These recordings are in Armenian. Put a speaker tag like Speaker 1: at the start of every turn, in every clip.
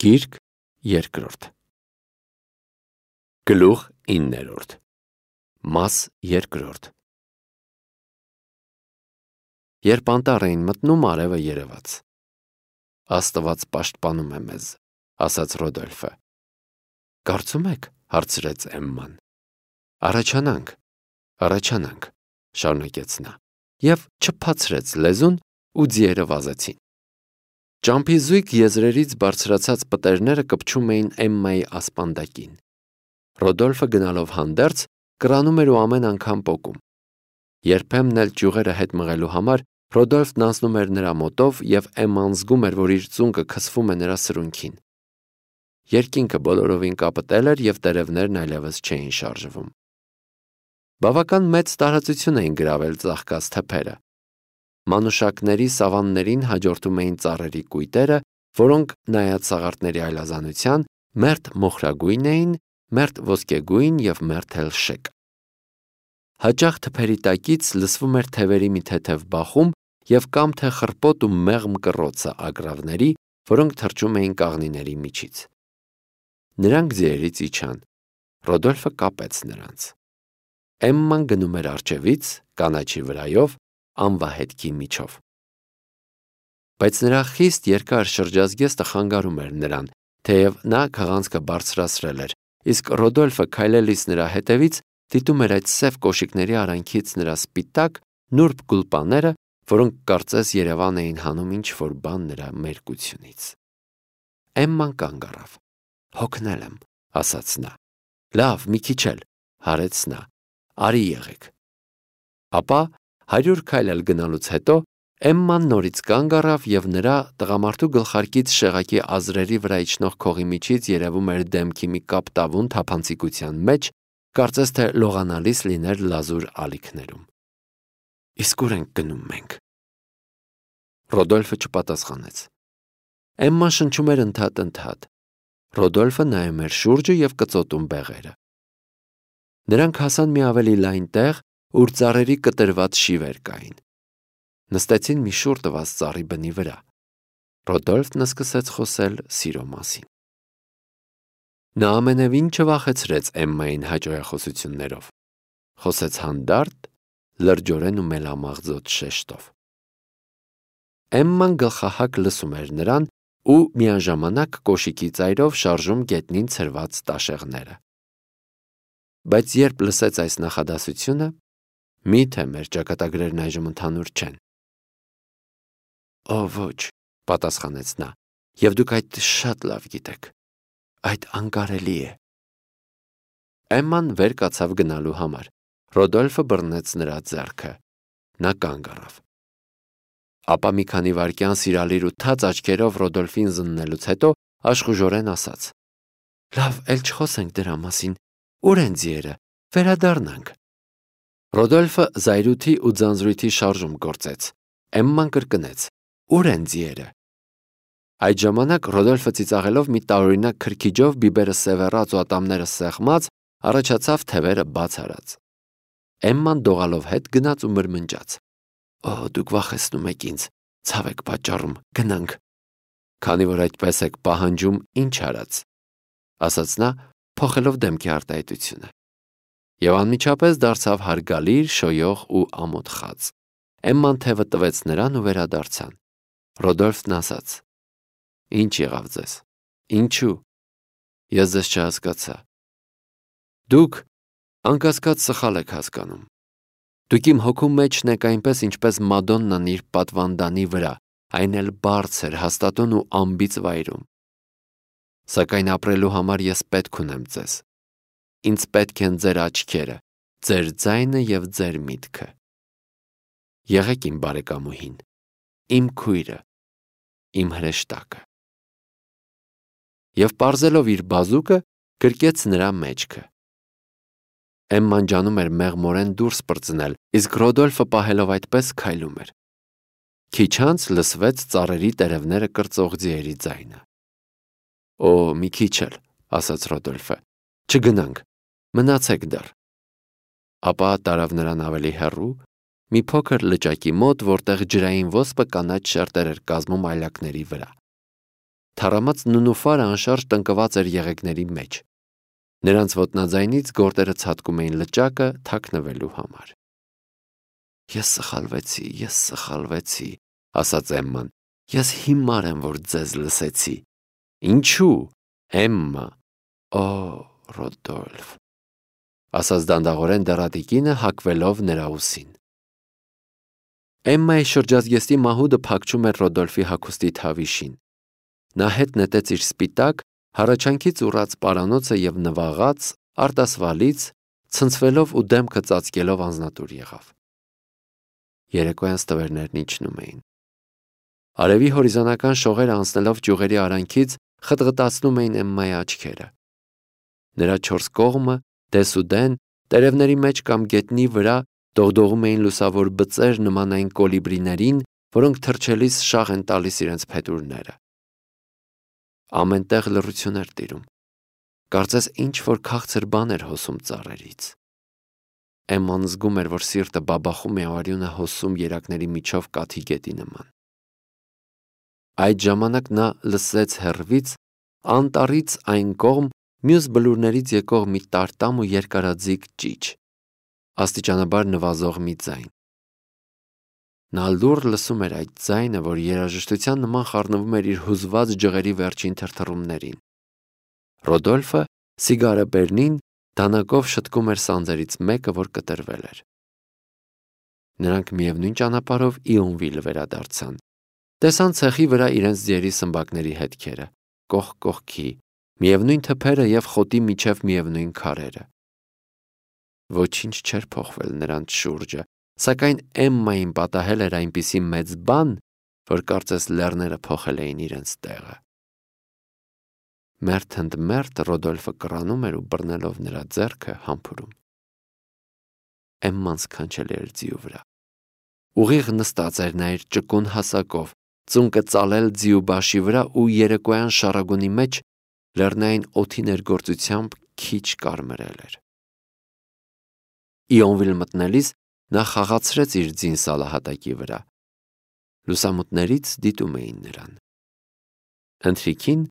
Speaker 1: Գիրք երկրորդ Գլուխ 9 Մաս երկրորդ Երբ անտառ էին մտնում, արևը երևաց։ Աստված պաշտպանում է մեզ, ասաց Ռոդոլֆը։ Կարծում եք, հարցրեց Էմման։ Առաջանանք, շարունակեց նա, և չփացրեց լեզուն ու ձիերը վազեցին։ Ճամփի զույգ եզրերից բարձրացած պտերները կպչում էին Էմմայի ասպանդակին։ Ռոդոլֆը գնալով հանդերձ կրանում էր ու ամեն անգամ պոկում։ Երբեմն էլ ճյուղերը հետ մղելու համար Ռոդոլֆն անցնում էր նրա մոտով և Էմման զգում էր, որ իր ծունկը քսվում է նրա սրունքին։ Երկինքը բոլորովին կապտել էր և տերևներն այլևս չէին շարժվում։ Բավական մեծ տարածություն էին գրավել ծաղկած թփերը։ Մանուշակների սավաններին հաջորդում էին ծառերի կույտերը, որոնք, նայած սաղարթների այլազանության, մերթ մոխրագույն էին, մերթ ոսկեգույն և մերթ էլ շեկ։ Հաճախ թփերի տակից լսվում էր թևերի մի թեթև բախում և կամ թե խռպոտ ու մեղմ կռոցը ագռավների, որոնք թռչում էին կաղնիների միջից։ Նրանք ձիերից իջան։ Ռոդոլֆը կապեց նրանց։ Էմման գնում էր առջևից, կանաչի վրայով, անվահետքի միջով։ Բայց նրա խիստ երկար շրջազգեստը խանգարում էր նրան, թեև նա քղանցքը բարձրացրել էր, իսկ Ռոդոլֆը քայլելիս նրա հետևից դիտում էր այդ սև կոշիկների արանքից նրա սպիտակ, նուրբ գուլպաները, որոնք կարծես երևան էին հանում ինչ-որ բան նրա մերկությունից։ Էմման կանգ առավ։ Հոգնել եմ, ասաց նա։ Լավ, մի քիչ էլ, հարեց նա։ Արի եղեք։ Ապա 100 քայլ էլ գնալուց հետո Էմման նորից կանգ առավ և նրա տղամարդու գլխարկից շեղակի ազրերի վրա իջնող քողի միջից երևում էր դեմքի մի կապտավուն թափանցիկության մեջ, կարծես թե լողանալիս լիներ լազուր ալիքներում։ Իսկ ուր ենք գնում մենք։ Ռոդոլֆը չպատասխանեց։ Էմման շնչում էր ընդհատ։ Ռոդոլֆը նայում էր շուրջը և կծոտում բեղերը։ Նրանք հասան մի ավելի լայն տեղ, ուր ծառերի կտրված շիվեր կային։ Նստեցին մի շուռ տված ծառի բնի վրա։ Ռոդոլֆն սկսեց խոսել սիրո մասին։ Նա ամենևին չվախեցրեց Էմմային հաճոյախոսություններով։ Խոսեց հանդարտ, լրջորեն ու մելամաղձոտ շեշտով։ Էմման գլխահակ լսում էր նրան ու միաժամանակ կոշիկի ծայրով շարժում գետնին ցրված տաշեղները։ Բայց երբ լսեց այս նախադասությունը, միթե մեր ճակատագրերն այժմ ընդհանուր չեն։ Օ ոչ, պատասխանեց նա, և դուք այդ շատ լավ գիտեք։ Այդ անկարելի է։ Էմման վեր կացավ գնալու համար։ Ռոդոլֆը բռնեց նրա ձեռքը։ Նա կանգ առավ։ Ապա մի քանի վայրկյան սիրալիր ու թաց աչքերով Ռոդոլֆին զննելուց հետո աշխուժորեն ասաց. Լավ, էլ չխոսենք դրա մասին։ Ուր են ձիերը։ Վերադառնանք։ Ռոդոլֆը զայրույթի ու ձանձրույթի շարժում գործեց։ Էմման կրկնեց. Ուր են ձիերը։ Այդ ժամանակ Ռոդոլֆը ծիծաղելով մի տարօրինակ քրքիջով բիբերը սևեռած ու ատամները սեղմած առաջացավ թևերը բաց արած։ Էմման դողալով հետ գնաց ու մրմնջաց. Օ, դուք վախեցնում եք ինձ, ցավ եք պատճառում, գնանք։ Քանի որ այդպես եք պահանջում, ինչ արած, ասաց նա, փոխելով դեմքի արտահայտությունը։ Եվ անմիջապես դարձավ հարգալիր, շոյող ու ամոթ խազ։ Էմման թևը տվեց նրան ու վերադարձան։ Ռոդոլֆն ասաց. Ինչ եղավ ձեզ։ Ինչու։ Ես ձեզ չհասկացա։ Դուք անկասկած սխալ եք հասկանում։ Դուք իմ հոգու մեջն եք այնպես, ինչպես Մադոննան իր պատվանդանի վրա, այն էլ բարձր, հաստատուն ու անբիծ վայրում։ Սակայն ապրելու համար ես պետք ունեմ ձեզ։ Ինձ պետք են ձեր աչքերը, ձեր ձայնը և ձեր միտքը։ Եղեք իմ բարեկամուհին, իմ քույրը, իմ հրեշտակը։ Եվ պարզելով իր բազուկը, գրկեց նրա մեջքը։ Էմման ջանում էր մեղմորեն դուրս պրծնել, իսկ Ռոդոլֆը պահելով այդպես քայլում էր։ Քիչ անց լսվեց ծառերի տերևները կրծող ձիերի ձայնը։ Օ, մի քիչ էլ, ասաց Ռոդոլֆը, չգնանք, մնացեք դեռ։ Ապա տարավ նրան ավելի հեռու, մի փոքր լճակի մոտ, որտեղ ջրային ոսպը կանաչ շերտեր էր կազմում այլակների վրա։ Թառամած նունուֆարը անշարժ տնկված էր եղեգների մեջ։ Նրանց ոտնաձայնից գորտերը ցատկում էին լճակը թաքնվելու համար։ Ես սխալվեցի, ասաց Էմման։ Ես հիմար եմ, որ ձեզ լսեցի։ Ինչու, Էմմա։ Օ, Ռոդոլֆ, ասաց դանդաղորեն դեռատիկինը հակվելով նրա ուսին։ Էմմայի շրջազգեստի մահուդը փակչում էր Ռոդոլֆի հագուստի թավիշին։ Նա հետ նետեց իր սպիտակ, հառաչանքից ուռած պարանոցը և նվաղած, արտասվալից, ցնցվելով ու դեմքը ծածկելով անձնատուր եղավ։ Երեկոյան ստվերներն իջնում էին։ Արևի հորիզոնական շողերը անցնելով ճյուղերի արանքից խտղտացնում էին Էմմայի աչքերը։ Նրա չորս կողմը, դեսուդեն, տերևների մեջ կամ գետնի վրա դողդողում էին լուսավոր բծեր նման այն կոլիբրիներին, որոնք թռչելիս շաղ են տալիս իրենց փետուրները։ Ամենտեղ լռություն էր տիրում։ Կարծես ինչ-որ քաղցր բան էր հոսում ծառերից։ Էմման զգում էր, որ սիրտը բաբախում է արյունը հոսում երակների միջով կաթի գետի նման։ Այդ ժամանակ նա լսեց հեռվից, անտառից այն կողմ, մյուս բլուրներից եկող մի տարտամ ու երկարաձիգ ճիչ, աստիճանաբար նվազող մի ձայն։ Նա լուռ լսում էր այդ ձայնը, որ երաժշտության նման խառնվում էր իր հուզված ջղերի վերջին թրթռումներին։ Ռոդոլֆը սիգարը բերնին դանակով շտկում էր սանձերից մեկը, որ կտրվել էր։ Նրանք միևնույն ճանապարհով Իոնվիլ վերադարձան։ Տեսան ցեխի վրա իրենց ձիերի սմբակների հետքերը, կողք կողքի, միևնույն թփերը և խոտի միջև միևնույն քարերը։ Ոչինչ չէր փոխվել նրանց շուրջը, սակայն Էմմային պատահել էր այնպիսի մեծ բան, որ կարծես լեռները փոխել էին իրենց տեղը։ Մերթ ընդ մերթ Ռոդոլֆը կռանում էր ու բռնելով նրա ձեռքը համբուրում։ Էմման սքանչելի էր ձիու վրա։ Ուղիղ նստած էր նա իր ճկուն հասակով, ծունկը ծալել ձիու բաշի վրա ու երեկոյան շառագունի մեջ լեռնային օդի ներգործությամբ քիչ կարմրել էր։ Իոնվիլ մտնելիս նա խաղացրեց իր ձին սալահատակի վրա։ Լուսամուտներից դիտում էին նրան։ Ընթրիքին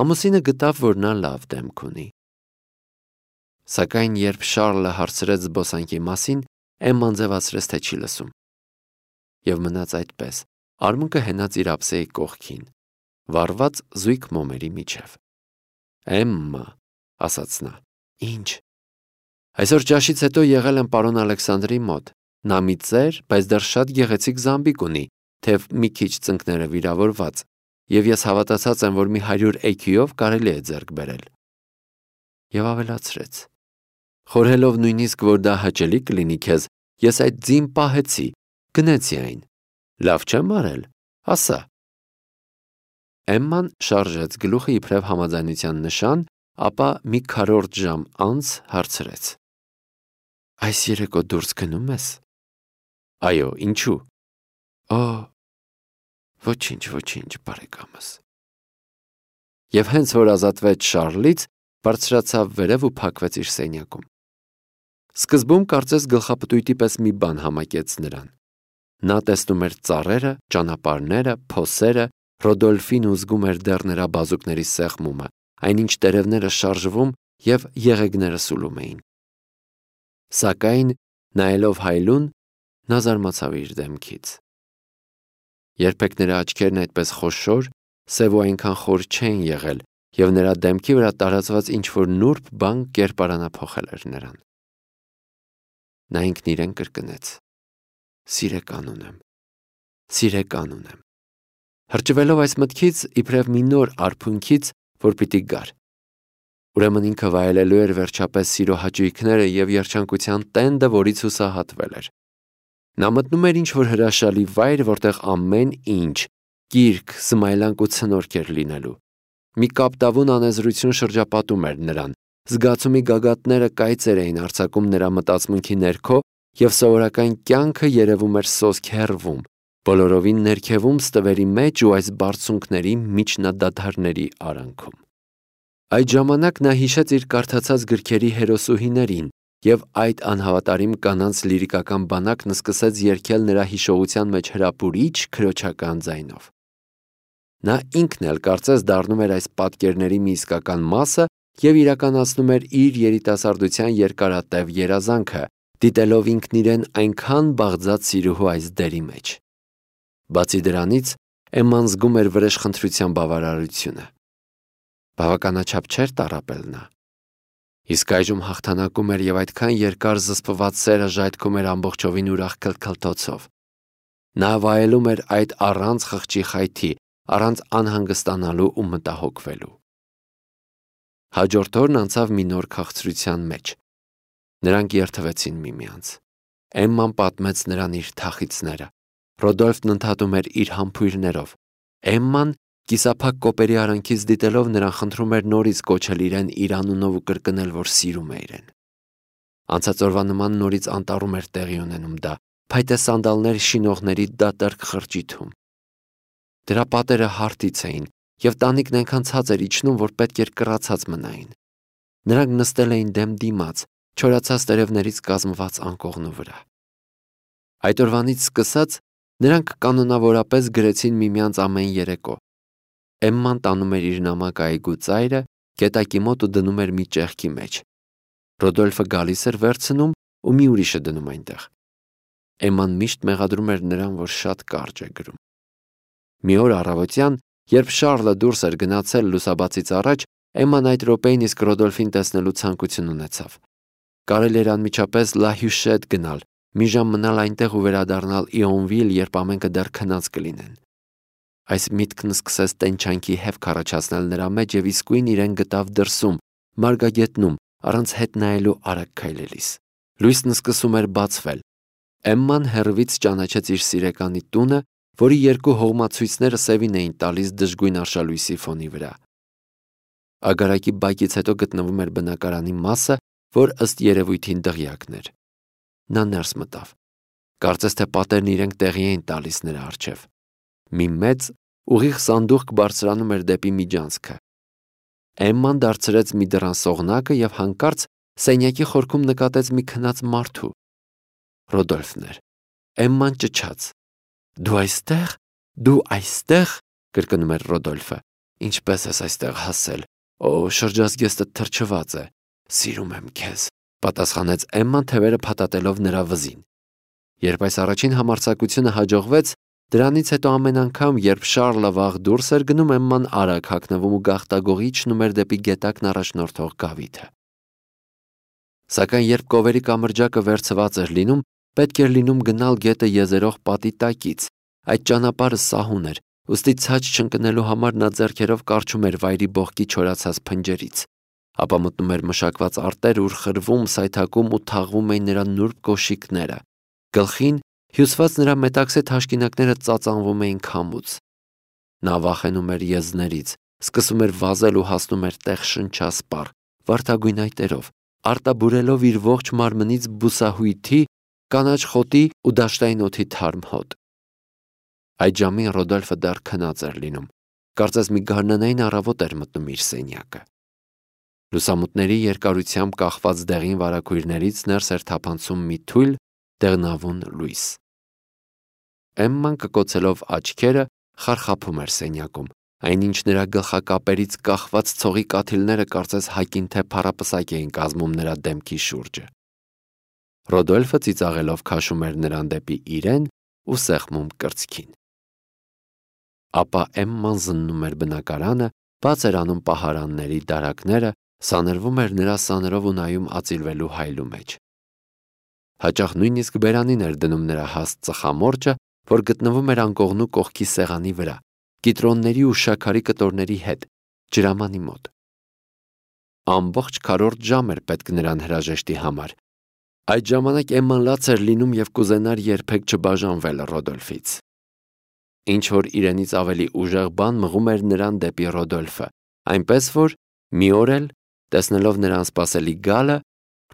Speaker 1: ամուսինը գտավ, որ նա լավ դեմք ունի։ Սակայն երբ Շառլը հարցրեց զբոսանքի մասին, Էմման ձևացրեց, թե չի լսում։ Եվ մնաց այդպես, արմունկը հենած իր ափսեի կողքին, վառված զույգ մոմերի միջև։ Էմմա, ասաց նա։ Ինչ։ Այսօր ճաշից հետո եղել եմ պարոն Ալեքսանդրի մոտ։ Նա մի ծեր, բայց դեռ շատ գեղեցիկ զամբիկ ունի, թեև մի քիչ ծնկները վիրավորված, և ես հավատացած եմ, որ մի 100 էքյուով կարելի է ձեռք բերել։ Եվ ավելացրեց. Խորհելով նույնիսկ, որ դա հաճելի կլինի քեզ, ես այդ ձին պահեցի, գնեցի այն։ Լավ չեմ արել, ասա։ Էմման շարժեց գլուխը իբրև համաձայնության նշան, ապա մի քառորդ ժամ անց հարցրեց. Այս երեկո դուրս գնում ես։ Այո, ինչու։ Օ, ոչինչ, բարեկամս։ Եվ հենց որ ազատվեց Շառլից, բարձրացավ վերև ու փակվեց իր սենյակում։ Սկզբում կարծես գլխապտույտի պես մի բան համակեց նրան։ Նա տեսնում էր ծառերը, ճանապարհները, փոսերը, Ռոդոլֆին ու զգում էր դեռ նրա բազուկների սեղմումը, այնինչ տերևները շարժվում և եղեգները սուլում էին։ Սակայն, նայելով հայլուն, նա զարմացավ իր դեմքից։ Երբեք նրա աչքերն այդպես խոշոր, սև ու այնքան խոր չէին եղել, և նրա դեմքի վրա տարածված ինչ-որ նուրբ բան կերպարանափոխել էր նրան։ Նա ինքն իրեն կրկնեց. Սիրեկան ունեմ։ Հրճվելով այս մտքից, իբրև մի նոր արփունքից, որ պիտի գար։ Ուրեմն ինքը վայելելու էր վերջապես սիրո հաճույքները և երջանկության տենդը, որից հուսահատվել էր։ Նա մտնում էր ինչ-որ հրաշալի վայր, որտեղ ամեն ինչ, կիրք, զմայլանք ու ցնորք էր լինելու։ Մի կապտավուն անեզրություն շրջապատում էր նրան, զգացումի գագաթները կայծեր էին արձակում նրա մտածմունքի ներքո, և սովորական կյանքը երևում էր սոսկ հեռվում, բոլորովին ներքևում ստվերի մեջ ու այս բարձունքների միջնադադարների արանքում։ Այդ ժամանակ նա հիշեց իր կարդացած գրքերի հերոսուհիներին, և այդ անհավատարիմ կանանց լիրիկական բանակն սկսեց երգել նրա հիշողության մեջ հրապուրիչ քրոջական ձայնով։ Նա ինքն էլ կարծես դառնում էր այս պատկերների մի իսկական մասը և իրականացնում էր իր երիտասարդության երկարատև երազանքը, դիտելով ինքն իրեն այնքան բաղձած սիրուհու այս դերի մեջ։ Բացի դրանից, Էմման զգում էր վրեժխնդրության բավարարությունը։ Բավականաչափ չէր տառապել նա։ Իսկ այժմ հաղթանակում էր և այդքան երկար զսպված սերը ժայթքում էր ամբողջովին ուրախ քլքլթոցով։ Նա վայելում էր այդ առանց խղճի խայթի, առանց անհանգստանալու ու մտահոգվելու։ Հաջորդ օրն անցավ մի նոր քաղցրության մեջ։ Նրանք երդվեցին միմյանց։ Էմման պատմեց նրան իր թախիծները։ Ռոդոլֆն ընդհատում էր իր համբույրներով։ Էմման, կիսափակ կոպերի արանքից դիտելով նրան, խնդրում էր նորից կոչել իրեն իր անունով ու կրկնել, որ սիրում է իրեն։ Անցած օրվա նման նորից անտառում էր տեղի ունենում դա, փայտե սանդալներ շինողների դատարկ խրճիթում։ Դրա պատերը հարթից էին, և տանիքն այնքան ցած էր իջնում, որ պետք էր կռացած մնային։ Նրանք նստել էին դեմ դիմաց, չորացած տերևներից կազմված անկողնու վրա։ Այդ օրվանից սկսած նրանք կանոնավորապես գրեցին միմյանց ամեն երեկո։ Էմման տանում էր իր նամակը այգու ծայրը, գետակի մոտ ու դնում էր մի ճեղքի մեջ։ Ռոդոլֆը գալիս էր վերցնում ու մի ուրիշը դնում այնտեղ։ Էմման միշտ մեղադրում էր նրան, որ շատ կարճ է գրում։ Մի օր առավոտյան, երբ Շառլը դուրս էր գնացել լուսաբացից առաջ, Էմման այդ րոպեին իսկ Ռոդոլֆին տեսնելու ցանկություն ունեցավ։ Կարելի էր անմիջապես Լա Հյուշետ գնալ, մի ժամ մնալ այնտեղ ու վերադառնալ Իոնվիլ, երբ ամենքը դեռ քնած կլինեն։ Այս միտքն սկսեց տենչանքի հևք առաջացնել նրա մեջ և իսկույն իրեն գտավ դրսում, մարգագետնում, առանց հետ նայելու արագ քայլելիս։ Լույսն սկսում էր բացվել։ Էմման հեռվից ճանաչեց իր սիրեկանի տունը, որի երկու հողմացույցները սևին էին տալիս դժգույն արշալույսի ֆոնի վրա։ Ագարակի բակից հետո գտնվում էր բնակարանի մասը, որ ըստ երևույթին դղյակն էր։ Նա ներս մտավ։ Կարծես թե պատերն իրենք տեղի էին տալիս նրա առջև։ Մի մեծ, ուղիղ սանդուղք բարձրանում էր դեպի միջանցքը։ Էմման դարձրեց մի դռան սողնակը և հանկարծ սենյակի խորքում նկատեց մի քնած մարդու։ Ռոդոլֆն էր։ Էմման ճչաց. «Դու այստեղ, դու այստեղ», կրկնում էր Ռոդոլֆը։ «Ինչպես ես այստեղ հասել։ Օ, շրջազգեստդ թրջված է։ Սիրում եմ քեզ», պատասխանեց Էմման, թևերը փաթաթելով նրա վզին։ Երբ այս առաջին համարձակությունը հաջողվեց, դրանից հետո ամեն անգամ, երբ Շառլը վաղ դուրս էր գնում, Էմման արագ հագնվում ու գաղտագողի իջնում էր դեպի գետակն առաջնորդող գավիթը։ Սակայն երբ կովերի կամրջակը վերցված էր լինում, պետք էր լինում գնալ գետը եզերող պատի տակից։ Այդ ճանապարհը սահուն էր, ուստի ցած չընկնելու համար նա ձեռքերով կառչում էր վայրի բողկի չորացած փնջերից, ապա մտնում էր մշակված արտեր, ուր խրվում, սայթաքում ու թաղվում էին նրա նուրբ կոշիկները։ Գլխին հյուսված նրա մետաքսե թաշկինակները ծածանվում էին քամուց։ Նա վախենում էր եզներից, սկսում էր վազել ու հասնում էր տեղ շնչասպառ, վարդագույն այտերով, արտաբուրելով իր ողջ մարմնից բուսահույթի, կանաչ խոտի ու դաշտային օդի թարմ հոտ։ Այդ ժամին Ռոդոլֆը դեռ քնած էր լինում, կարծես մի գարնանային առավոտ էր մտնում իր սենյակը։ Լուսամուտների երկարությամբ կախված դեղին վարագույրներից ներս էր թափանցում մի թույլ, դեղնավուն լույս։ Էմման կկոցելով աչքերը խարխափում էր սենյակում, այնինչ նրա գլխակապերից կախված ցողի կաթիլները կարծես հակին թե փառապսակ էին կազմում նրա դեմքի շուրջը։ Ռոդոլֆը ծիծաղելով քաշում էր նրան դեպի իրեն ու սեղմում կրծքին։ Ապա Էմման զննում էր բնակարանը, բաց էր անում պահարանների դարակները, սանրվում էր նրա սաներով ու նայում ածիլվելու հայլու մեջ։ Հաճախ նույնիսկ բերանին էր դնում նրա հաստ ծխամորճը, որ գտնվում էր անկողնու կողքի սեղանի վրա, կիտրոնների ու շաքարի կտորների հետ, ջրամանի մոտ։ Ամբողջ քառորդ ժամ էր պետք նրան հրաժեշտի համար։ Այդ ժամանակ Էմման լաց էր լինում և կուզենար երբեք չբաժանվել Ռոդոլֆից։ Ինչ որ իրենից ավելի ուժեղ բան մղում էր նրան դեպի Ռոդոլֆը, այնպես որ մի օր էլ, տեսնելով նրան սպասելի գալը,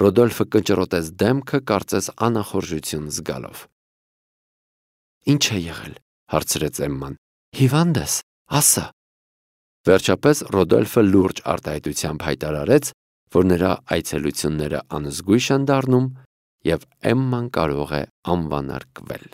Speaker 1: Ռոդոլֆը կնճռոտեց դեմքը, կարծես անախորժություն զգալով։ «Ինչ է եղել», հարցրեց Էմման։ «Հիվանդ ես, ասա»։ Վերջապես Ռոդոլֆը լուրջ արտահայտությամբ հայտարարեց, որ նրա այցելությունները անզգույշ են դառնում և Էմման կարող է անվանարկվել։